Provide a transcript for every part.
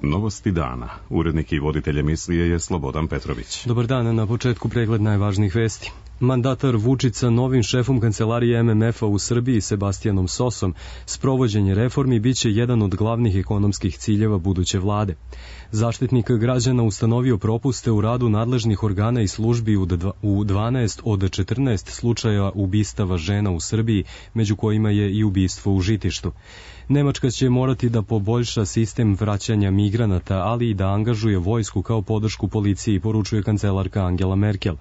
Novosti dana. Urednik i voditelj emisije je Slobodan Petrović. Dobar dan, na početku pregled najvažnijih vesti. Mandatar Vučić sa novim šefom kancelarije MMF-a u Srbiji, Sebastijanom Sosom, sprovođenje reformi biće jedan od glavnih ekonomskih ciljeva buduće vlade. Zaštitnik građana ustanovio propuste u radu nadležnih organa i službi u 12 od 14 slučaja ubistava žena u Srbiji, među kojima je i ubistvo u Žitištu. Nemačka će morati da poboljša sistem vraćanja migranata, ali i da angažuje vojsku kao podršku policiji, poručuje kancelarka Angela Merkel.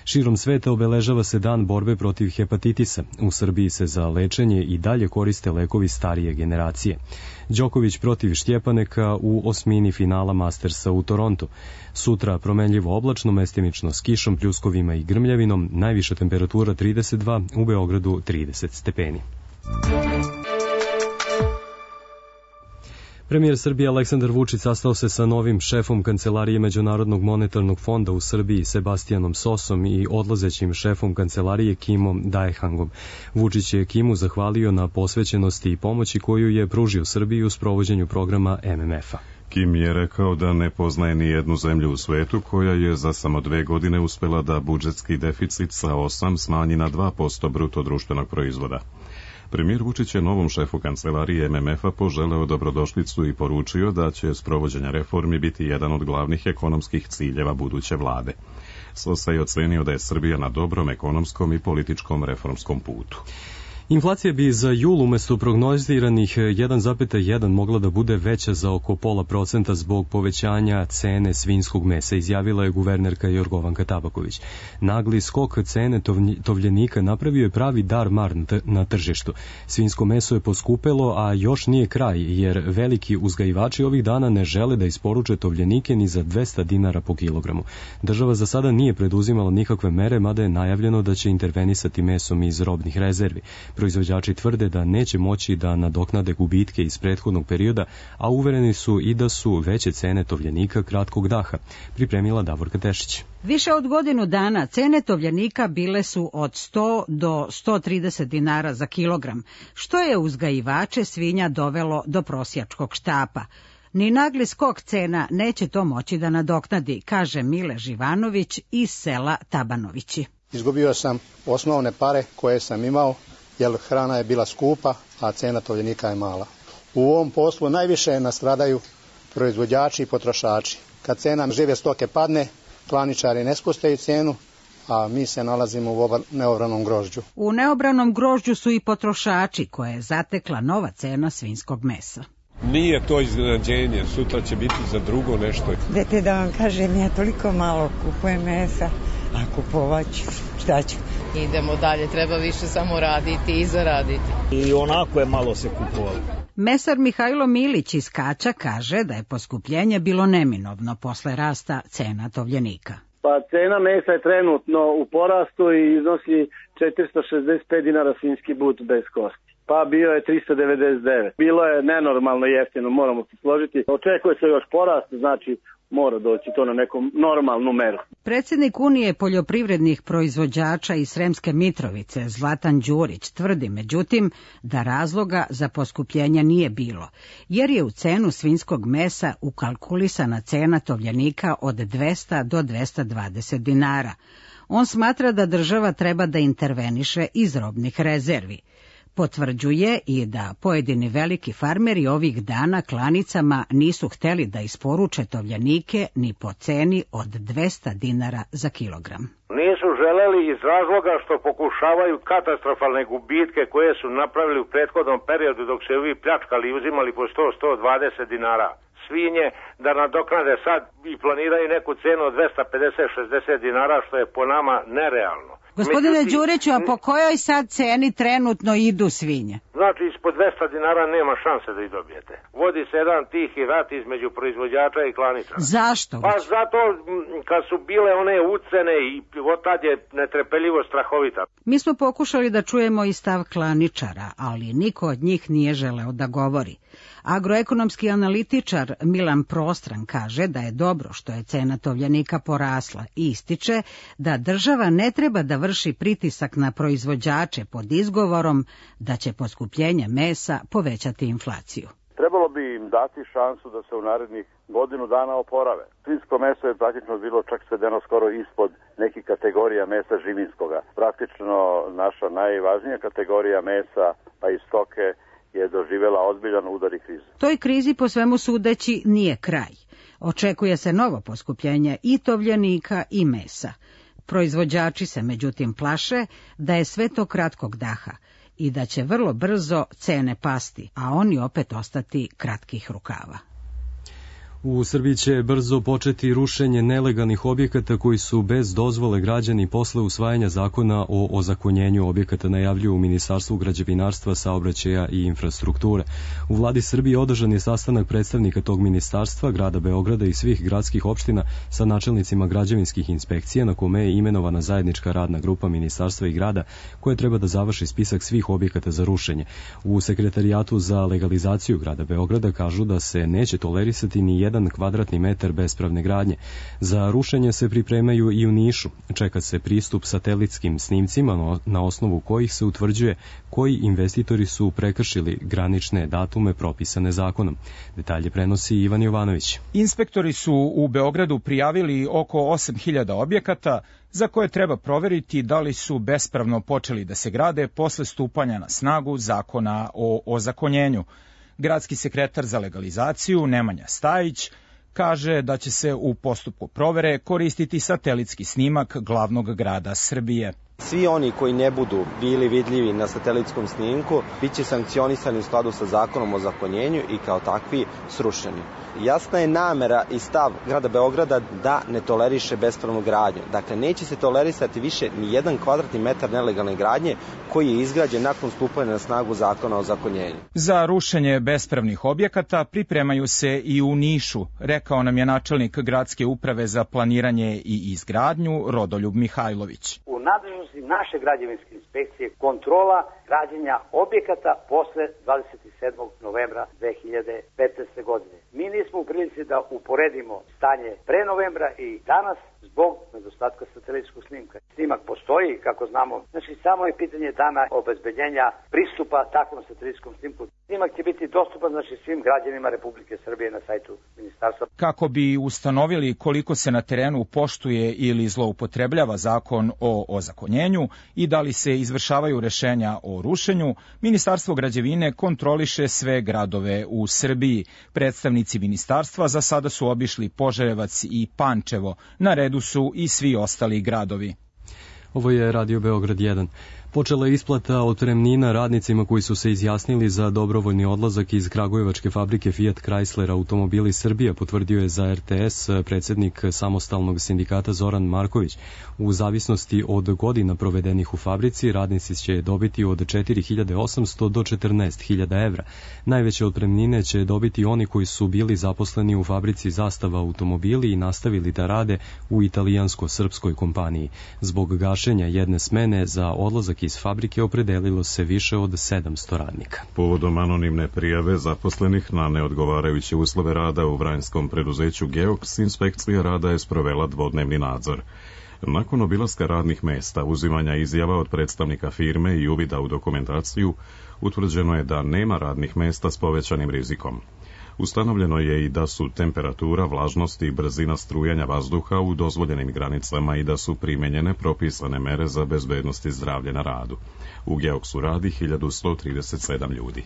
Širom sveta obeležava se dan borbe protiv hepatitisa. U Srbiji se za lečenje i dalje koriste lekovi starije generacije. Đoković protiv Štjepaneka u osmini finala Mastersa u Torontu. Sutra promenljivo oblačno, mestimično s kišom, pljuskovima i grmljavinom, najviša temperatura 32, u Beogradu 30 stepeni. Premijer Srbije Aleksandar Vučić sastao se sa novim šefom Kancelarije Međunarodnog monetarnog fonda u Srbiji Sebastijanom Sosom i odlazećim šefom Kancelarije Kimom Daehangom. Vučić je Kimu zahvalio na posvećenosti i pomoći koju je pružio Srbiji u sprovođenju programa MMF-a. Kim je rekao da ne poznaje ni jednu zemlju u svetu koja je za samo 2 godine uspela da budžetski deficit sa 8 smanji na 2% bruto društvenog proizvoda. Premijer Vučić je novom šefu kancelarije MMF-a poželeo dobrodošlicu i poručio da će sprovođenje reformi biti jedan od glavnih ekonomskih ciljeva buduće vlade. Sosa je ocenio da je Srbija na dobrom ekonomskom i političkom reformskom putu. Inflacija bi za jul umesto prognoziranih 1,1 mogla da bude veća za oko 0,5% zbog povećanja cene svinjskog mesa, izjavila je guvernerka Jorgovanka Tabaković. Nagli skok cene tovljenika napravio je pravi dar-mar na tržištu. Svinjsko meso je poskupelo, a još nije kraj, jer veliki uzgajivači ovih dana ne žele da isporuče tovljenike ni za 200 dinara po kilogramu. Država za sada nije preduzimala nikakve mere, mada je najavljeno da će intervenisati mesom iz robnih rezervi. Proizvođači tvrde da neće moći da nadoknade gubitke iz prethodnog perioda, a uvereni su i da su veće cene tovljenika kratkog daha, pripremila Davorka Tešić. Više od godinu dana cene tovljenika bile su od 100 do 130 dinara za kilogram, što je uzgajivače svinja dovelo do prosjačkog štapa. Ni nagli skok cena neće to moći da nadoknadi, kaže Mile Živanović iz sela Tabanovići. Izgubio sam osnovne pare koje sam imao, jer hrana je bila skupa, a cena tovljenika je mala. U ovom poslu najviše nastradaju proizvođači i potrošači. Kad cena žive stoke padne, klaničari ne spuštaju cenu, a mi se nalazimo u neobranom grožđu. U neobranom grožđu su i potrošači, koje je zatekla nova cena svinjskog mesa. Nije to iznenađenje, sutra će biti za drugo nešto. Dete, da vam kažem, ja toliko malo kupujem mesa, a kupovat ću, šta ću? Idemo dalje, treba više samo raditi i zaraditi. I onako je malo se kupovalo. Mesar Mihajlo Milić iz Kaća kaže da je poskupljenje bilo neminovno posle rasta cena tovljenika. Pa cena mesa je trenutno u porastu i iznosi 465 dinara svinjski but bez kosti. Pa bio je 399. Bilo je nenormalno jeftino, moramo se složiti. Očekuje se još porast, znači mora doći to na neku normalnu meru. Predsjednik Unije poljoprivrednih proizvođača iz Sremske Mitrovice, Zlatan Đurić, tvrdi međutim da razloga za poskupljenje nije bilo, jer je u cenu svinjskog mesa ukalkulisana cena tovljenika od 200 do 220 dinara. On smatra da država treba da interveniše iz robnih rezervi. Potvrđuje i da pojedini veliki farmeri ovih dana klanicama nisu hteli da isporuče tovljenike ni po ceni od 200 dinara za kilogram. Nisu želeli iz razloga što pokušavaju katastrofalne gubitke koje su napravili u prethodnom periodu dok se ovi pljačkali i uzimali po 100-120 dinara svinje, da nadoknade sad i planiraju neku cenu od 250-60 dinara, što je po nama nerealno. Gospodine Đuriću, a po kojoj sad ceni trenutno idu svinje? Znači, ispod 200 dinara nema šanse da ih dobijete. Vodi se jedan tihi rat između proizvođača i klanica. Zašto? Pa zato kad su bile one ucene i od tad je netrpeljivo strahovita. Mi smo pokušali da čujemo i stav klaničara, ali niko od njih nije želeo da govori. Agroekonomski analitičar Milan Prostran kaže da je dobro što je cena tovljenika porasla i ističe da država ne treba da vrši pritisak na proizvođače pod izgovorom da će poskupljenje mesa povećati inflaciju. trebalo bi im dati šansu da se u narednih godinu dana oporave. Svinjsko meso je praktično bilo čak svedeno skoro ispod nekih kategorija mesa živinskoga. Praktično naša najvažnija kategorija mesa, pa i stoke, je doživjela ozbiljan udar i krizu. Toj krizi po svemu sudeći nije kraj. Očekuje se novo poskupljenje i tovljenika i mesa. Proizvođači se međutim plaše da je sve to kratkog daha i da će vrlo brzo cene pasti, a oni opet ostati kratkih rukava. U Srbiji će brzo početi rušenje nelegalnih objekata koji su bez dozvole građani posle usvajanja zakona o ozakonjenju objekata, najavljuju u Ministarstvu građevinarstva, saobraćaja i infrastrukture. U vladi Srbije održan je sastanak predstavnika tog ministarstva, grada Beograda i svih gradskih opština sa načelnicima građevinskih inspekcija, na kome je imenovana zajednička radna grupa ministarstva i grada koja treba da završi spisak svih objekata za rušenje. U Sekretarijatu za legalizaciju grada Beograda kažu da se neće tolerisati ni jedan kvadratni metar bespravne gradnje. Za rušenje se pripremaju i u Nišu. Čeka se pristup satelitskim snimcima na osnovu kojih se utvrđuje koji investitori su prekršili granične datume propisane zakonom. Detalje prenosi Ivan Jovanović. Inspektori su u Beogradu prijavili oko 8.000 objekata za koje treba proveriti da li su bespravno počeli da se grade posle stupanja na snagu zakona o ozakonjenju. Gradski sekretar za legalizaciju Nemanja Stajić kaže da će se u postupku provere koristiti satelitski snimak glavnog grada Srbije. Svi oni koji ne budu bili vidljivi na satelitskom snimku biće sankcionisani u skladu sa zakonom o ozakonjenju i kao takvi srušeni. Jasna je namera i stav grada Beograda da ne toleriše bespravnu gradnju. Dakle, neće se tolerisati više ni jedan kvadratni metar nelegalne gradnje koji je izgrađen nakon stupanja na snagu zakona o ozakonjenju. Za rušenje bespravnih objekata pripremaju se i u Nišu, rekao nam je načelnik gradske uprave za planiranje i izgradnju Rodoljub Mihajlović. U nadležnosti naše građevinske inspekcije kontrola građenja objekata posle 27. novembra 2015. godine. Mi nismo u prilici da uporedimo stanje pre novembra i danas zbog nedostatka satelitskog snimka. Snimak postoji, kako znamo, znači samo je pitanje dana obezbeđenja pristupa takvom satelitskom snimku. Snimak će biti dostupan svim građanima Republike Srbije na sajtu ministarstva. Kako bi ustanovili koliko se na terenu poštuje ili zloupotrebljava zakon o ozakonjenju i da li se izvršavaju rešenja o rušenju, Ministarstvo građevine kontroliše sve gradove u Srbiji. Predstavnici ministarstva za sada su obišli Požarevac i Pančevo. Na redu su i svi ostali gradovi. Ovo je Radio Beograd 1. Počela je isplata otpremnina radnicima koji su se izjasnili za dobrovoljni odlazak iz kragujevačke fabrike Fiat Chrysler Automobili Srbija, potvrdio je za RTS predsjednik samostalnog sindikata Zoran Marković. U zavisnosti od godina provedenih u fabrici, radnici će dobiti od 4.800 do 14.000 evra. Najveće otpremnine će dobiti oni koji su bili zaposleni u fabrici Zastava automobili i nastavili da rade u italijansko-srpskoj kompaniji. Zbog gašenja jedne smene za odlazak iz fabrike opredelilo se više od 700 radnika. Povodom anonimne prijave zaposlenih na neodgovarajuće uslove rada u vranjskom preduzeću Geoks, inspekcija rada je sprovela dvodnevni nadzor. Nakon obilaska radnih mesta, uzimanja izjava od predstavnika firme i uvida u dokumentaciju, utvrđeno je da nema radnih mesta s povećanim rizikom. Ustanovljeno je i da su temperatura, vlažnost i brzina strujanja vazduha u dozvoljenim granicama i da su primenjene propisane mere za bezbednost i zdravlje na radu. U Geoksu radi 1137 ljudi.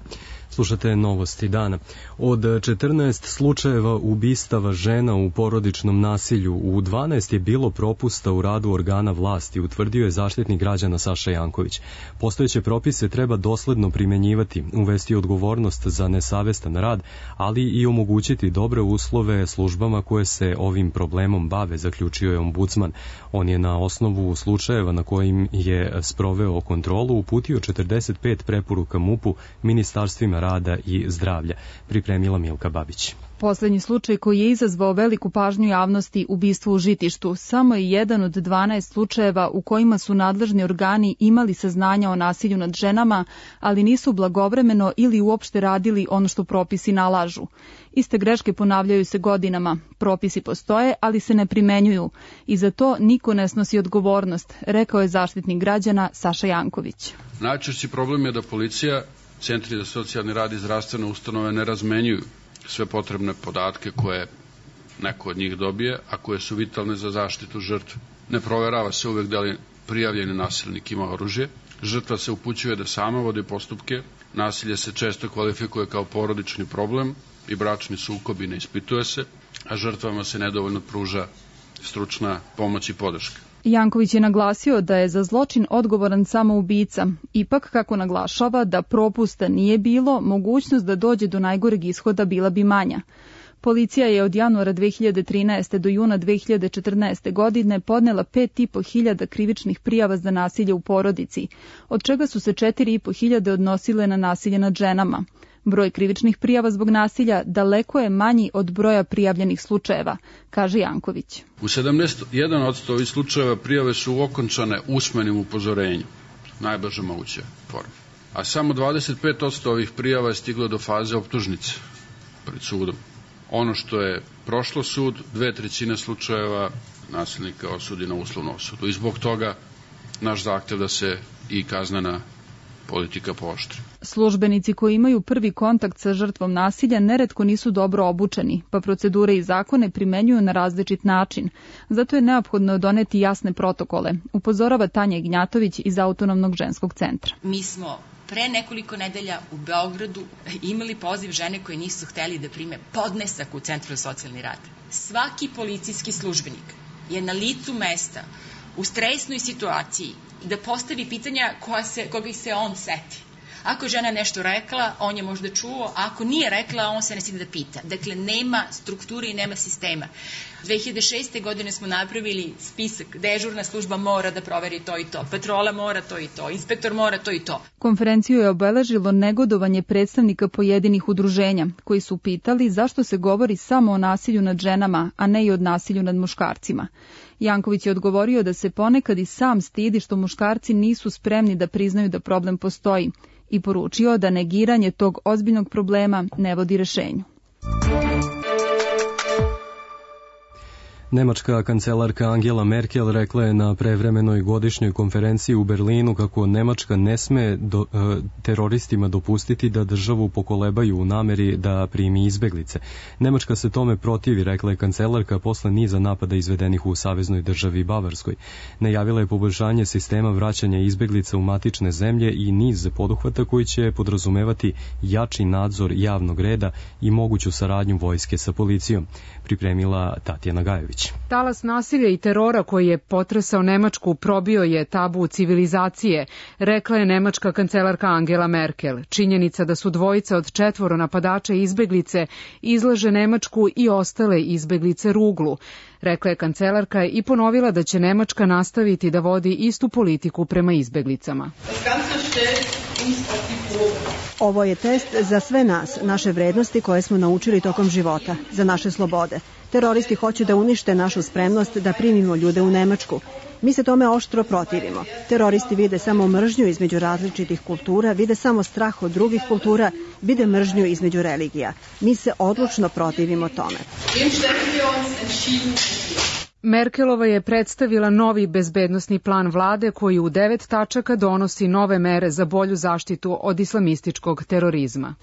Slušate novosti dana. Od 14 slučajeva ubistava žena u porodičnom nasilju, u 12 je bilo propusta u radu organa vlasti, utvrdio je Zaštitnik građana Saša Janković. Postojeće propise treba dosledno primenjivati, uvesti odgovornost za nesavestan rad, ali i omogućiti dobre uslove službama koje se ovim problemom bave, zaključio je ombudsman. On je na osnovu slučajeva na kojim je sproveo kontrolu uputio 45 preporuka MUP-u, ministarstvima rada i zdravlja, pripremila Milka Babić. Poslednji slučaj koji je izazvao veliku pažnju javnosti, ubistvo u Žitištu, samo je jedan od 12 slučajeva u kojima su nadležni organi imali saznanja o nasilju nad ženama, ali nisu blagovremeno ili uopšte radili ono što propisi nalažu. Iste greške ponavljaju se godinama. Propisi postoje, ali se ne primenjuju i za to niko ne snosi odgovornost, rekao je Zaštitnik građana Saša Janković. Najčešći problem je da policija centri za socijalni rad i zdravstvene ustanove ne razmenjuju sve potrebne podatke koje neko od njih dobije, a koje su vitalne za zaštitu žrtve. Ne proverava se uvek da li prijavljeni nasilnik ima oružje. Žrtva se upućuje da sama vodi postupke. Nasilje se često kvalifikuje kao porodični problem i bračni sukob i ne ispituje se, a žrtvama se nedovoljno pruža stručna pomoć i podrška. Janković je naglasio da je za zločin odgovoran samo ubica. Ipak, kako naglašava, da propusta nije bilo, mogućnost da dođe do najgoreg ishoda bila bi manja. Policija je od januara 2013. do juna 2014. godine podnela 5.500 krivičnih prijava za nasilje u porodici, od čega su se 4.500 odnosile na nasilje nad ženama. Broj krivičnih prijava zbog nasilja daleko je manji od broja prijavljenih slučajeva, kaže Janković. U 71% ovih slučajeva prijave su okončane usmenim upozorenjem, najblaže moguće forme. A samo 25% ovih prijava je stiglo do faze optužnice pred sudom. Ono što je prošlo sud, 2/3 slučajeva nasilnika osudi na uslovnu osudu. I zbog toga naš zahtev da se i kaznena politika pooštri. Službenici koji imaju prvi kontakt sa žrtvom nasilja neretko nisu dobro obučeni, pa procedure i zakone primenjuju na različit način. Zato je neophodno doneti jasne protokole, upozorava Tanja Ignjatović iz Autonomnog ženskog centra. Mi smo pre nekoliko nedelja u Beogradu imali poziv žene koje nisu hteli da prime podnesak u Centru za socijalni rad. Svaki policijski službenik je na licu mesta u stresnoj situaciji da postavi pitanja koga se on seti. Ako je žena nešto rekla, on je možda čuo, a ako nije rekla, on se ne sidi da pita. Dakle, nema strukture i nema sistema. 2006. godine smo napravili spisak, dežurna služba mora da proveri to i to, patrola mora to i to, inspektor mora to i to. Konferenciju je obeležilo negodovanje predstavnika pojedinih udruženja, koji su pitali zašto se govori samo o nasilju nad ženama, a ne i o nasilju nad muškarcima. Janković je odgovorio da se ponekad i sam stidi što muškarci nisu spremni da priznaju da problem postoji i poručio da negiranje tog ozbiljnog problema ne vodi rešenju. Nemačka kancelarka Angela Merkel rekla je na prevremenoj godišnjoj konferenciji u Berlinu kako Nemačka ne sme teroristima dopustiti da državu pokolebaju u nameri da primi izbeglice. Nemačka se tome protivi, rekla je kancelarka posle niza napada izvedenih u saveznoj državi Bavarskoj. Najavila je poboljšanje sistema vraćanja izbeglica u matične zemlje i niz poduhvata koji će podrazumevati jači nadzor javnog reda i moguću saradnju vojske sa policijom, pripremila Tatjana Gajević. Talas nasilja i terora koji je potresao Nemačku probio je tabu civilizacije, rekla je nemačka kancelarka Angela Merkel. Činjenica da su dvojica od 4 napadača izbeglice izlaže Nemačku i ostale izbeglice ruglu, rekla je kancelarka i ponovila da će Nemačka nastaviti da vodi istu politiku prema izbeglicama. Ovo je test za sve nas, naše vrednosti koje smo naučili tokom života, za naše slobode. Teroristi hoće da unište našu spremnost da primimo ljude u Nemačku. Mi se tome oštro protivimo. Teroristi vide samo mržnju između različitih kultura, vide samo strah od drugih kultura, vide mržnju između religija. Mi se odlučno protivimo tome. Merkelova je predstavila novi bezbednosni plan vlade koji u 9 tačaka donosi nove mere za bolju zaštitu od islamističkog terorizma.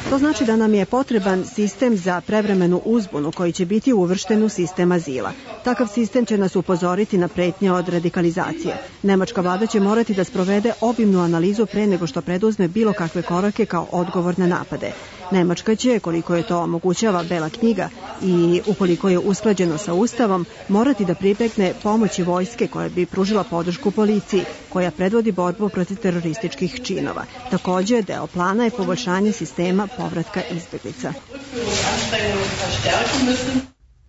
To znači da nam je potreban sistem za prevremenu uzbunu koji će biti uvršten u sistem azila. Takav sistem će nas upozoriti na pretnje od radikalizacije. Nemačka vlada će morati da sprovede obimnu analizu pre nego što preduzme bilo kakve korake kao odgovor na napade. Nemačka će, koliko je to omogućava Bela knjiga i ukoliko je usklađeno sa Ustavom, morati da pribegne pomoći vojske koja bi pružila podršku policiji, koja predvodi borbu protiv terorističkih činova. Također, deo plana je poboljšanje sistema povratka izbeglica.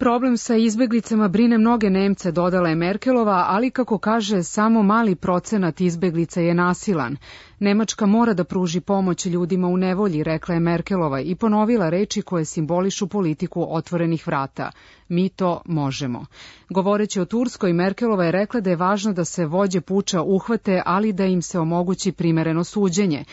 Problem sa izbeglicama brine mnoge Nemce, dodala je Merkelova, ali kako kaže, samo mali procenat izbeglica je nasilan. Nemačka mora da pruži pomoć ljudima u nevolji, rekla je Merkelova i ponovila reči koje simbolišu politiku otvorenih vrata. Mi to možemo. Govoreći o Turskoj, Merkelova je rekla da je važno da se vođe puča uhvate, ali da im se omogući primereno suđenje.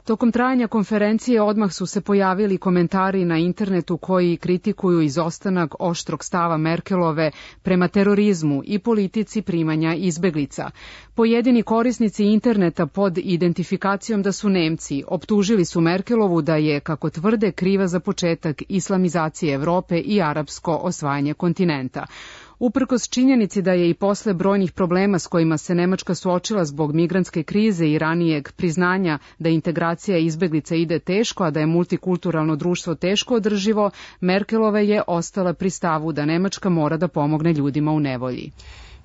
Tokom trajanja konferencije odmah su se pojavili komentari na internetu koji kritikuju izostanak oštrog stava Merkelove prema terorizmu i politici primanja izbeglica. Pojedini korisnici interneta pod identifikacijom da su Nemci optužili su Merkelovu da je, kako tvrde, kriva za početak islamizacije Evrope i arapsko osvajanje kontinenta. Uprkos činjenici da je i posle brojnih problema s kojima se Nemačka suočila zbog migrantske krize i ranijeg priznanja da integracija izbeglica ide teško, a da je multikulturalno društvo teško održivo, Merkelova je ostala pri stavu da Nemačka mora da pomogne ljudima u nevolji.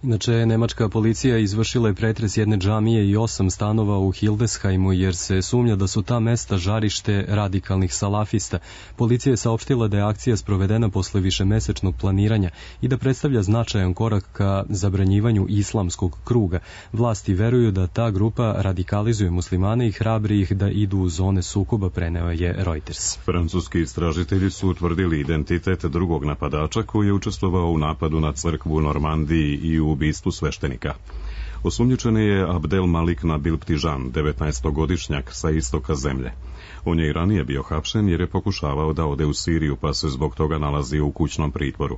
Inače, nemačka policija izvršila je pretres jedne džamije i 8 stanova u Hildesheimu jer se sumnja da su ta mesta žarište radikalnih salafista. Policija je saopštila da je akcija sprovedena posle višemesečnog planiranja i da predstavlja značajan korak ka zabranjivanju islamskog kruga. Vlasti veruju da ta grupa radikalizuje muslimane i hrabri ih da idu u zone sukoba, preneo je Reuters. Francuski istražitelji su utvrdili identitet drugog napadača koji je učestvovao u napadu na crkvu u Normandiji i u ubistvu sveštenika. Osumnjičeni je Abdel Malik Nabil Ptižan, 19-godišnjak sa istoka zemlje. On je i ranije bio hapšen jer je pokušavao da ode u Siriju, pa se zbog toga nalazio u kućnom pritvoru.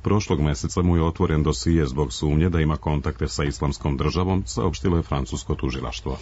Prošlog meseca mu je otvoren dosije zbog sumnje da ima kontakte sa Islamskom državom, saopštilo je francusko tužilaštvo.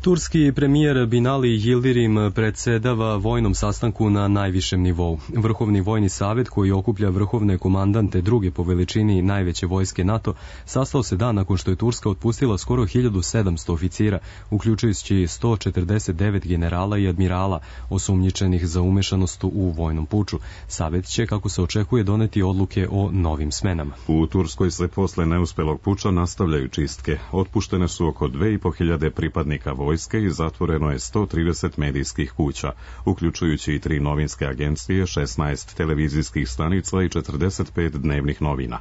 Turski premijer Binali Yildirim predsedava vojnom sastanku na najvišem nivou. Vrhovni vojni savet, koji okuplja vrhovne komandante druge po veličini najveće vojske NATO, sastao se dan nakon što je Turska otpustila skoro 1700 oficira, uključujući 149 generala i admirala osumnjičenih za umešanost u vojnom puču. Savet će, kako se očekuje, doneti odluke o novim smenama. U Turskoj se posle neuspelog puča nastavljaju čistke. Otpuštene su oko 2500 pripadnika vojske i zatvoreno je 130 medijskih kuća, uključujući i 3 novinske agencije, 16 televizijskih stanica i 45 dnevnih novina.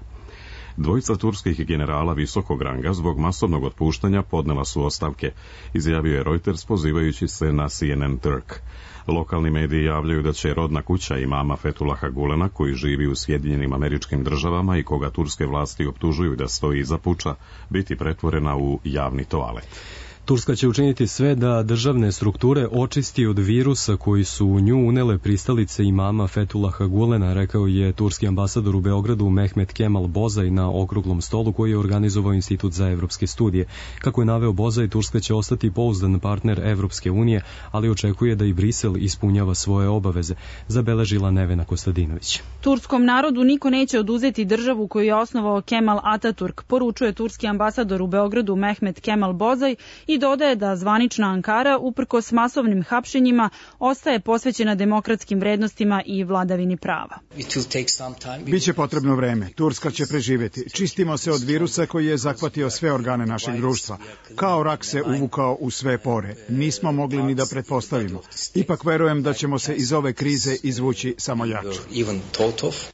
Dvojica turskih generala visokog ranga zbog masovnog otpuštanja podnela su ostavke, izjavio je Reuters pozivajući se na CNN Turk. Lokalni mediji javljaju da će rodna kuća imama Fethullaha Gulena, koji živi u Sjedinjenim Američkim Državama i koga turske vlasti optužuju da stoji iza puča, biti pretvorena u javni toalet. Turska će učiniti sve da državne strukture očisti od virusa koji su u nju unele pristalice imama Fethullaha Gulena, rekao je turski ambasador u Beogradu Mehmet Kemal Bozaj na okruglom stolu koji je organizovao Institut za evropske studije. Kako je naveo Bozaj, Turska će ostati pouzdan partner Evropske unije, ali očekuje da i Brisel ispunjava svoje obaveze, zabeležila Nevena Kostadinović. Turskom narodu niko neće oduzeti državu koju je osnovao Kemal Ataturk, poručuje turski ambasador u Beogradu Mehmet Kemal Bozaj i dodaje da zvanična Ankara, uprkos masovnim hapšenjima, ostaje posvećena demokratskim vrednostima i vladavini prava. Biće potrebno vreme. Turska će preživjeti. Čistimo se od virusa koji je zahvatio sve organe našeg društva. Kao rak se uvukao u sve pore. Nismo mogli ni da pretpostavimo. Ipak verujem da ćemo se iz ove krize izvući samo jače.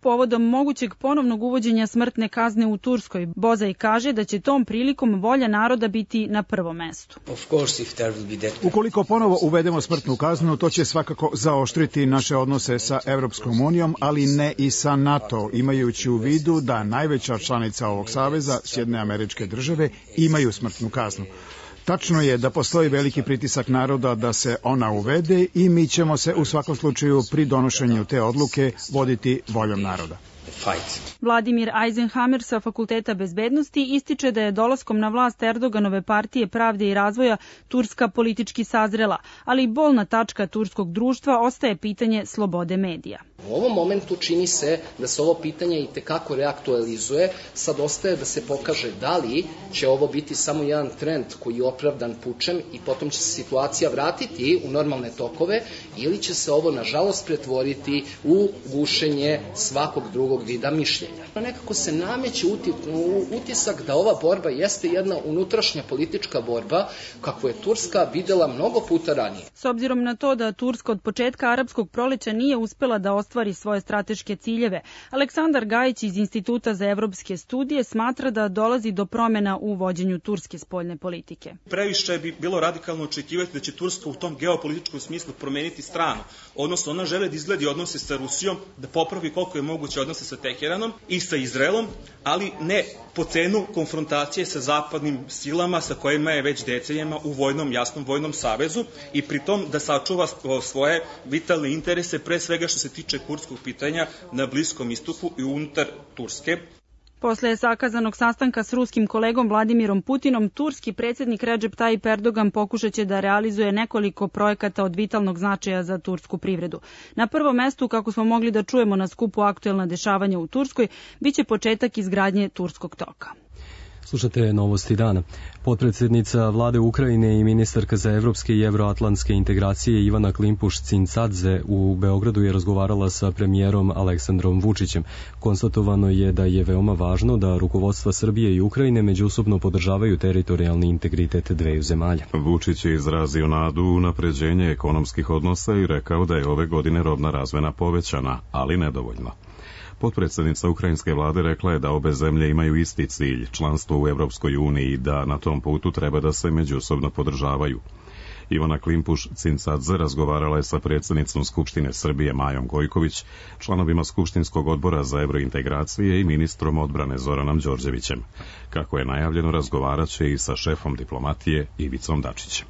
Povodom mogućeg ponovnog uvođenja smrtne kazne u Turskoj, Bozaj kaže da će tom prilikom volja naroda biti na prvom mestu. Ukoliko ponovo uvedemo smrtnu kaznu, to će svakako zaoštriti naše odnose sa Evropskom unijom, ali ne i sa NATO, imajući u vidu da najveća članica ovog saveza, Sjedinjene Američke Države, imaju smrtnu kaznu. Tačno je da postoji veliki pritisak naroda da se ona uvede i mi ćemo se u svakom slučaju pri donošenju te odluke voditi voljom naroda. Vladimir Eisenhammer sa Fakulteta bezbednosti ističe da je dolaskom na vlast Erdoganove partije pravde i razvoja Turska politički sazrela, ali bolna tačka turskog društva ostaje pitanje slobode medija. U ovom momentu čini se da se ovo pitanje i tekako reaktualizuje, sad ostaje da se pokaže da li će ovo biti samo jedan trend koji je opravdan pučem i potom će se situacija vratiti u normalne tokove ili će se ovo nažalost pretvoriti u gušenje svakog drugog vida mišljenja. Nekako se nameće utisak da ova borba jeste jedna unutrašnja politička borba kakvu je Turska videla mnogo puta ranije. S obzirom na to da Turska od početka arapskog proleća nije uspela da ostvari svoje strateške ciljeve. Aleksandar Gajić iz Instituta za evropske studije smatra da dolazi do promjena u vođenju turske spoljne politike. Previše bi bilo radikalno očekivati da će Turska u tom geopolitičkom smislu promeniti stranu, odnosno ona žele da izgledi odnose sa Rusijom, da popravi koliko je moguće odnose sa Teheranom i sa Izraelom, ali ne po cenu konfrontacije sa zapadnim silama sa kojima je već decenijama u jasnom vojnom savezu i pritom da sačuva svoje vitalne interese, pre svega što se tiče kurdskog pitanja na Bliskom istoku i unutar Turske. Posle sakazanog sastanka s ruskim kolegom Vladimirom Putinom, turski predsjednik Recep Tayyip Erdogan pokušaće da realizuje nekoliko projekata od vitalnog značaja za tursku privredu. Na prvom mestu, kako smo mogli da čujemo na skupu Aktuelna dešavanja u Turskoj, biće početak izgradnje Turskog toka. Slušate Novosti dana. Potpredsjednica vlade Ukrajine i ministarka za evropske i evroatlantske integracije Ivana Klimpuš-Cincadze u Beogradu je razgovarala sa premijerom Aleksandrom Vučićem. Konstatovano je da je veoma važno da rukovodstva Srbije i Ukrajine međusobno podržavaju teritorijalni integritet dveju zemalja. Vučić je izrazio nadu u unapređenje ekonomskih odnosa i rekao da je ove godine robna razmena povećana, ali nedovoljno. Potpredsjednica ukrajinske vlade rekla je da obe zemlje imaju isti cilj, članstvo u Evropskoj uniji, i da na tom putu treba da se međusobno podržavaju. Ivana Klimpuš-Cincadze razgovarala je sa predsjednicom Skupštine Srbije Majom Gojković, članovima Skupštinskog odbora za evrointegracije i ministrom odbrane Zoranom Đorđevićem. Kako je najavljeno, razgovaraće i sa šefom diplomatije Ivicom Dačićem.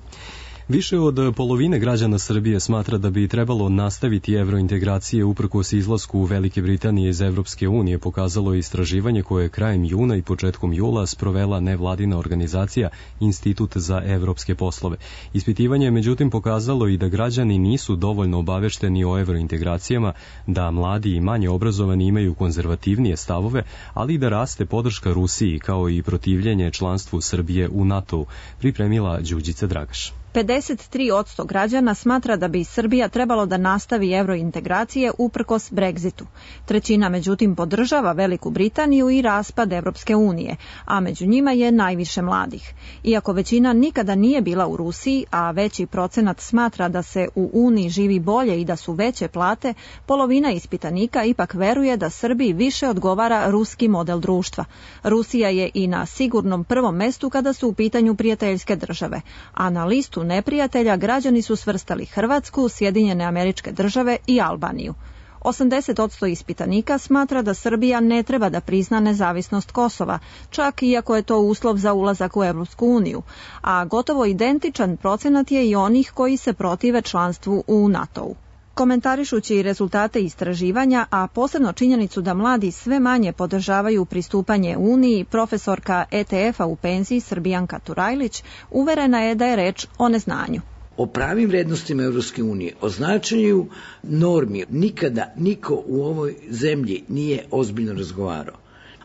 Više od polovine građana Srbije smatra da bi trebalo nastaviti evrointegracije uprkos izlasku Velike Britanije iz Evropske unije, pokazalo je istraživanje koje je krajem juna i početkom jula sprovela nevladina organizacija Institut za evropske poslove. Ispitivanje je međutim pokazalo i da građani nisu dovoljno obavešteni o evrointegracijama, da mladi i manje obrazovani imaju konzervativnije stavove, ali i da raste podrška Rusiji kao i protivljenje članstvu Srbije u NATO-u, pripremila Đurđica Dragaš. 53% građana smatra da bi Srbija trebalo da nastavi evrointegracije uprkos Brexitu. Trećina međutim podržava Veliku Britaniju i raspad Evropske unije, a među njima je najviše mladih. Iako većina nikada nije bila u Rusiji, a veći procenat smatra da se u Uniji živi bolje i da su veće plate, polovina ispitanika ipak veruje da Srbiji više odgovara ruski model društva. Rusija je i na sigurnom prvom mestu kada su u pitanju prijateljske države, a na listu neprijatelja građani su svrstali Hrvatsku, Sjedinjene Američke Države i Albaniju. 80% ispitanika smatra da Srbija ne treba da prizna nezavisnost Kosova, čak iako je to uslov za ulazak u Evropsku uniju, a gotovo identičan procenat je i onih koji se protive članstvu u NATO-u. Komentarišući rezultate istraživanja, a posebno činjenicu da mladi sve manje podržavaju pristupanje Uniji, profesorka ETF-a u penziji Srbijanka Turajlić uverena je da je reč o neznanju. O pravim vrednostima Evropske unije, o značenju normi, nikada niko u ovoj zemlji nije ozbiljno razgovarao.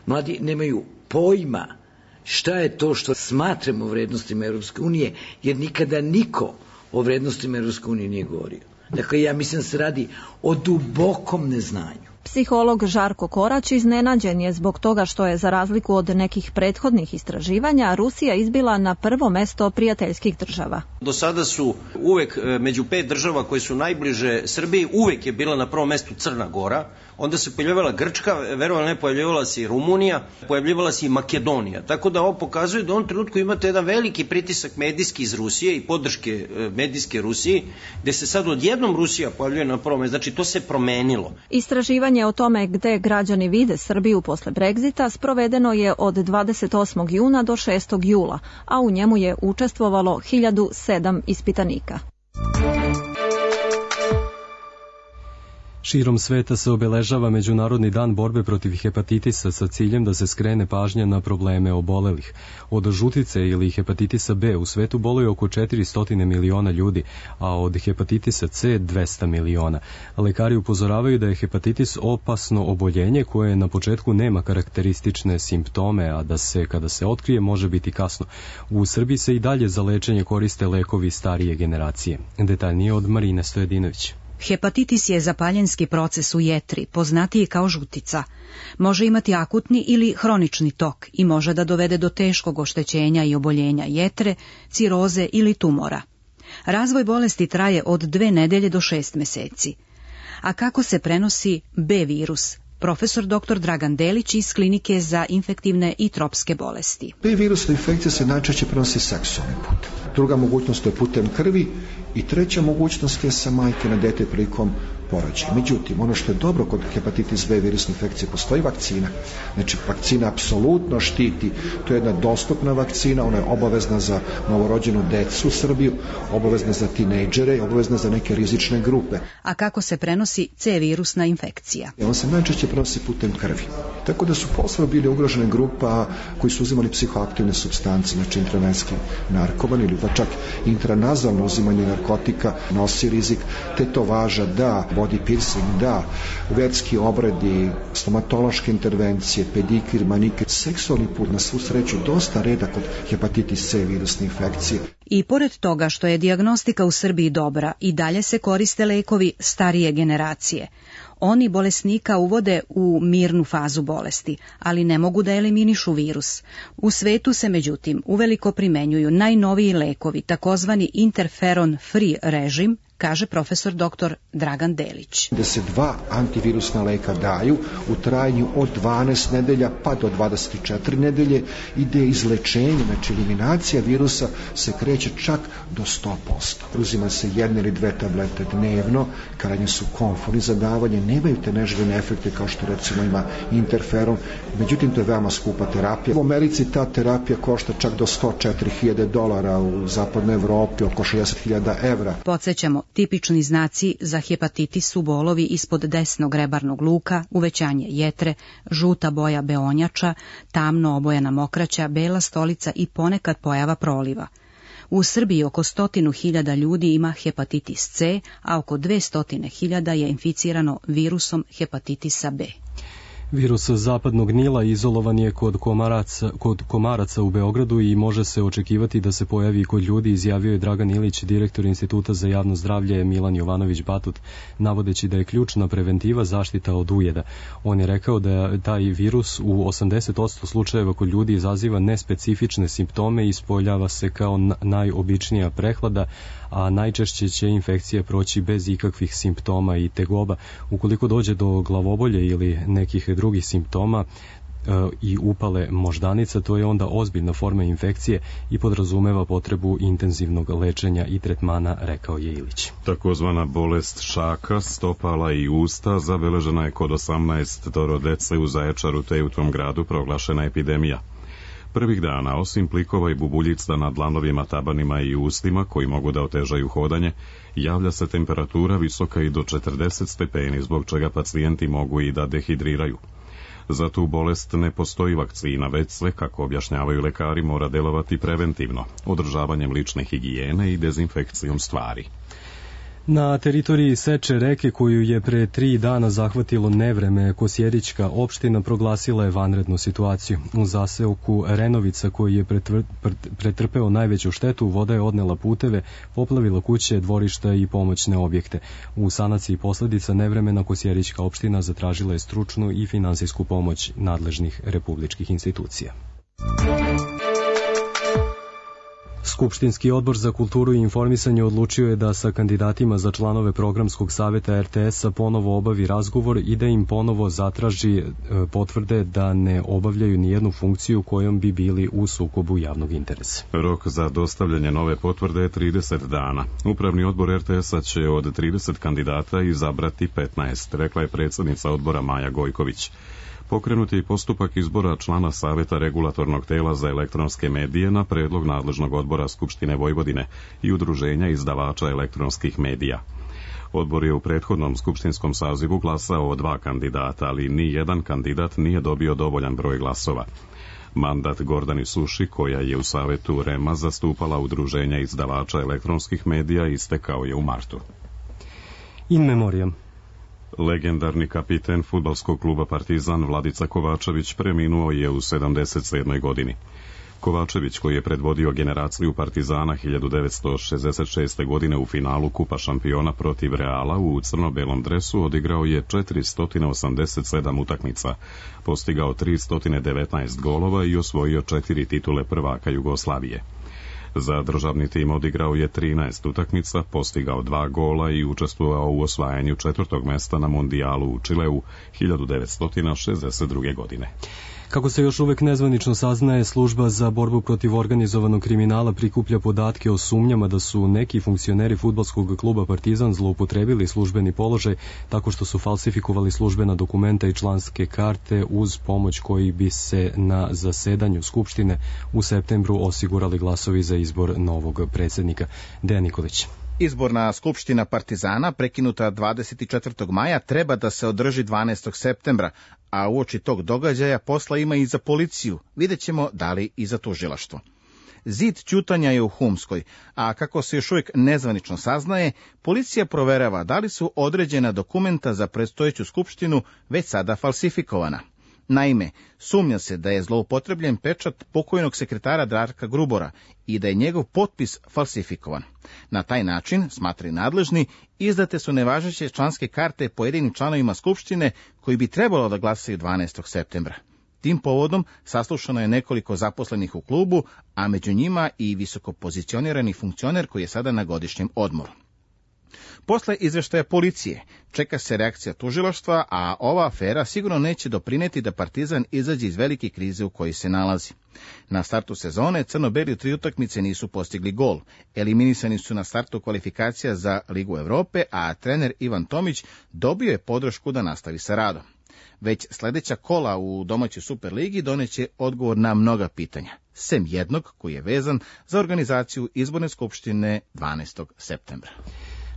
Mladi nemaju pojma šta je to što smatramo vrednostima Evropske unije, jer nikada niko o vrednostima Evropske unije nije govorio. Dakle, ja mislim da se radi o dubokom neznanju. Psiholog Žarko Korać iznenađen je zbog toga što je, za razliku od nekih prethodnih istraživanja, Rusija izbila na prvo mesto prijateljskih država. Do sada su uvek među 5 država koje su najbliže Srbiji, uvek je bila na prvom mestu Crna Gora, onda se pojavljivala Grčka, verovatno ne, pojavljivala se i Rumunija, pojavljivala se i Makedonija. Tako da ovo pokazuje da u ovom trenutku imate jedan veliki pritisak medijski iz Rusije i podrške medijske Rusiji, gde se sad odjednom Rusija pojavljuje na prvom mestu. Znači, to se promenilo. Istraživanje o tome gde građani vide Srbiju posle Brexita sprovedeno je od 28. juna do 6. jula, a u njemu je učestvovalo 1007 ispitanika. Širom sveta se obeležava Međunarodni dan borbe protiv hepatitisa sa ciljem da se skrene pažnja na probleme obolelih. Od žutice ili hepatitisa B u svetu boluje oko 400 miliona ljudi, a od hepatitisa C 200 miliona. Lekari upozoravaju da je hepatitis opasno oboljenje koje na početku nema karakteristične simptome, a da se, kada se otkrije, može biti kasno. U Srbiji se i dalje za lečenje koriste lekovi starije generacije. Detaljnije od Marine Stojedinović. Hepatitis je zapaljenski proces u jetri, poznatiji kao žutica. Može imati akutni ili hronični tok i može da dovede do teškog oštećenja i oboljenja jetre, ciroze ili tumora. Razvoj bolesti traje od 2 nedelje do 6 meseci. A kako se prenosi B virus? Profesor dr. Dragan Delić iz Klinike za infektivne i tropske bolesti. B virusna infekcija se najčešće prenosi seksualnim putem. Druga mogućnost je putem krvi i treća mogućnost je sa majke na dete prilikom porođaja. Međutim, ono što je dobro kod hepatitis B virusne infekcije, postoji vakcina. Znači, vakcina apsolutno štiti. To je jedna dostupna vakcina, ona je obavezna za novorođenu decu u Srbiju, obavezna za tinejdžere i obavezna za neke rizične grupe. A kako se prenosi C virusna infekcija? On se najčešće prenosi putem krvi. Tako da su posebno bili ugrožene grupa koji su uzimali psihoaktivne supstance, znači intravenski narkoman ili pa čak intranazalno uzimanje narkotika nosi rizik, tetovaža da, body piercing da, verski obredi, stomatološke intervencije, pedikir, manikir, seksualni put na svu sreću dosta reda kod hepatitis C virusne infekcije. I pored toga što je dijagnostika u Srbiji dobra, i dalje se koriste lekovi starije generacije. Oni bolesnika uvode u mirnu fazu bolesti, ali ne mogu da eliminišu virus. U svetu se međutim uveliko primenjuju najnoviji lekovi, takozvani interferon-free režim, kaže profesor dr. Dragan Delić. Da se 2 antivirusna leka daju u trajanju od 12 nedelja pa do 24 nedelje, ide izlečenje, znači eliminacija virusa se kreće čak do 100%. Uzima se 1 ili 2 tablete dnevno, krajnje su komforni za davanje, nemaju te neželjene efekte kao što recimo ima interferon, međutim to je veoma skupa terapija. U Americi ta terapija košta čak do $104.000, u zapadnoj Evropi oko 60.000 evra. Podsjećamo, tipični znaci za hepatitis su bolovi ispod desnog rebarnog luka, uvećanje jetre, žuta boja beonjača, tamno obojena mokraća, bela stolica i ponekad pojava proliva. U Srbiji oko 100.000 ljudi ima hepatitis C, a oko 200.000 je inficirano virusom hepatitisa B. Virus zapadnog Nila izolovan je kod komaraca u Beogradu i može se očekivati da se pojavi kod ljudi, izjavio je Dragan Ilić, direktor Instituta za javno zdravlje Milan Jovanović Batut, navodeći da je ključna preventiva zaštita od ujeda. On je rekao da taj virus u 80% slučajeva kod ljudi izaziva nespecifične simptome i ispoljava se kao najobičnija prehlada, a najčešće će infekcija proći bez ikakvih simptoma i tegoba. Ukoliko dođe do glavobolje ili nekih drugih simptoma i upale moždanica, to je onda ozbiljna forma infekcije i podrazumeva potrebu intenzivnog lečenja i tretmana, rekao je Ilić. Takozvana bolest šaka, stopala i usta zabeležena je kod 18 dece u Zaječaru, te u tom gradu proglašena epidemija. Prvih dana, osim plikova i bubuljica na dlanovima, tabanima i ustima koji mogu da otežaju hodanje, javlja se temperatura visoka i do 40 stepeni, zbog čega pacijenti mogu i da dehidriraju. Za tu bolest ne postoji vakcina, već se, kako objašnjavaju lekari, mora delovati preventivno, održavanjem lične higijene i dezinfekcijom stvari. Na teritoriji Seče reke, koju je pre 3 dana zahvatilo nevreme, Kosjerićka opština proglasila je vanrednu situaciju. U zaseoku Renovica, koji je pretrpeo najveću štetu, voda je odnela puteve, poplavila kuće, dvorišta i pomoćne objekte. U sanaciji posledica nevremena Kosjerićka opština zatražila je stručnu i finansijsku pomoć nadležnih republičkih institucija. Skupštinski odbor za kulturu i informisanje odlučio je da sa kandidatima za članove programskog saveta RTS-a ponovo obavi razgovor i da im ponovo zatraži potvrde da ne obavljaju nijednu funkciju kojom bi bili u sukobu javnog interesa. Rok za dostavljanje nove potvrde je 30 dana. Upravni odbor RTS-a će od 30 kandidata izabrati 15, rekla je predsjednica odbora Maja Gojković. Pokrenut je i postupak izbora člana Saveta regulatornog tela za elektronske medije na predlog nadležnog odbora Skupštine Vojvodine i Udruženja izdavača elektronskih medija. Odbor je u prethodnom skupštinskom sazivu glasao o 2 kandidata, ali ni jedan kandidat nije dobio dovoljan broj glasova. Mandat Gordani Suši, koja je u Savetu REM-a zastupala Udruženja izdavača elektronskih medija, istekao je u martu. In memoriam. Legendarni kapiten fudbalskog kluba Partizan Vladica Kovačević preminuo je u 77. godini. Kovačević, koji je predvodio generaciju Partizana 1966. godine u finalu Kupa šampiona protiv Reala u crno-belom dresu, odigrao je 487 utakmica, postigao 319 golova i osvojio 4 titule prvaka Jugoslavije. Za državni tim odigrao je 13 utakmica, postigao 2 gola i učestvovao u osvajanju 4. mesta na Mondijalu u Čileu 1962. godine. Kako se još uvek nezvanično saznaje, služba za borbu protiv organizovanog kriminala prikuplja podatke o sumnjama da su neki funkcioneri fudbalskog kluba Partizan zloupotrebili službeni položaj tako što su falsifikovali službena dokumenta i članske karte uz pomoć koji bi se na zasedanju Skupštine u septembru osigurali glasovi za izbor novog predsjednika. Dejan Nikolić. Izborna skupština Partizana, prekinuta 24. maja, treba da se održi 12. septembra, a uoči tog događaja posla ima i za policiju, vidjet ćemo da li i za tužilaštvo. Zid ćutanja je u Humskoj, a kako se još uvijek nezvanično saznaje, policija proverava da li su određena dokumenta za predstojeću skupštinu već sada falsifikovana. Naime, sumnja se da je zloupotrebljen pečat pokojnog sekretara Darka Grubora i da je njegov potpis falsifikovan. Na taj način, smatraju nadležni, izdate su nevažeće članske karte pojedinim članovima skupštine koji bi trebalo da glasaju 12. septembra. Tim povodom saslušano je nekoliko zaposlenih u klubu, a među njima i visokopozicionirani funkcioner koji je sada na godišnjem odmoru. Posle izveštaja policije čeka se reakcija tužilaštva, a ova afera sigurno neće doprineti da Partizan izađe iz velike krize u kojoj se nalazi. Na startu sezone crno-beli u 3 utakmice nisu postigli gol. Eliminisani su na startu kvalifikacija za Ligu Evrope, a trener Ivan Tomić dobio je podršku da nastavi sa radom. Već sledeća kola u domaćoj Superligi doneće odgovor na mnoga pitanja, sem jednog koji je vezan za organizaciju izborne skupštine 12. septembra.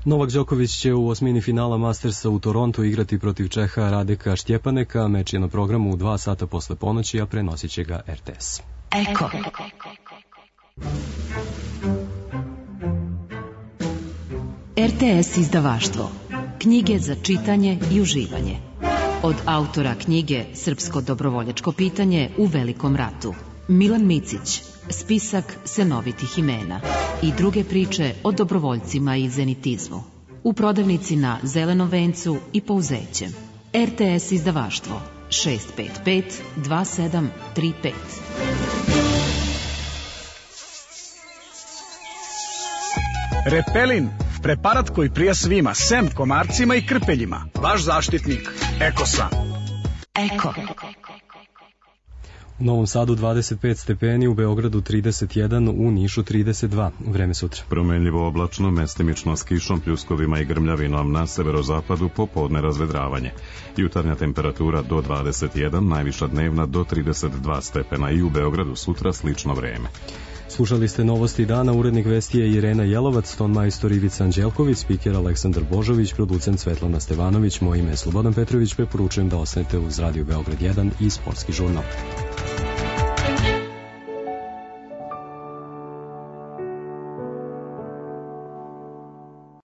Novak Đoković će u osmini finala Mastersa u Torontu igrati protiv Čeha Radeka Štjepaneka. Meč je na programu u 2 sata posle ponoći, a prenosit će ga RTS. Eko. RTS izdavaštvo. Knjige za čitanje i uživanje. Od autora knjige Srpsko dobrovoljačko pitanje u Velikom ratu. Milan Micić, spisak senovitih imena i druge priče o dobrovoljcima i zenitizmu. U prodavnici na Zelenom vencu i Pouzećem. RTS izdavaštvo 655 2735. Repelin, preparat koji prija svima, sem komarcima i krpeljima. Vaš zaštitnik, Ekosan. Eko. U Novom Sadu 25 stepeni, u Beogradu 31, u Nišu 32. Vreme sutra. Promenljivo oblačno, mestimično s kišom, pljuskovima i grmljavinom na severozapadu, popodne razvedravanje. Jutarnja temperatura do 21, najviša dnevna do 32 stepena i u Beogradu sutra slično vreme. Slušali ste novosti dana, urednik vesti je Irena Jelovac, ton majstor Ivica Anđelković, spiker Aleksandar Božović, producent Svetlana Stevanović, moje ime je Slobodan Petrović, preporučujem da ostanete uz Radio Beograd 1 i Sportski žurnal.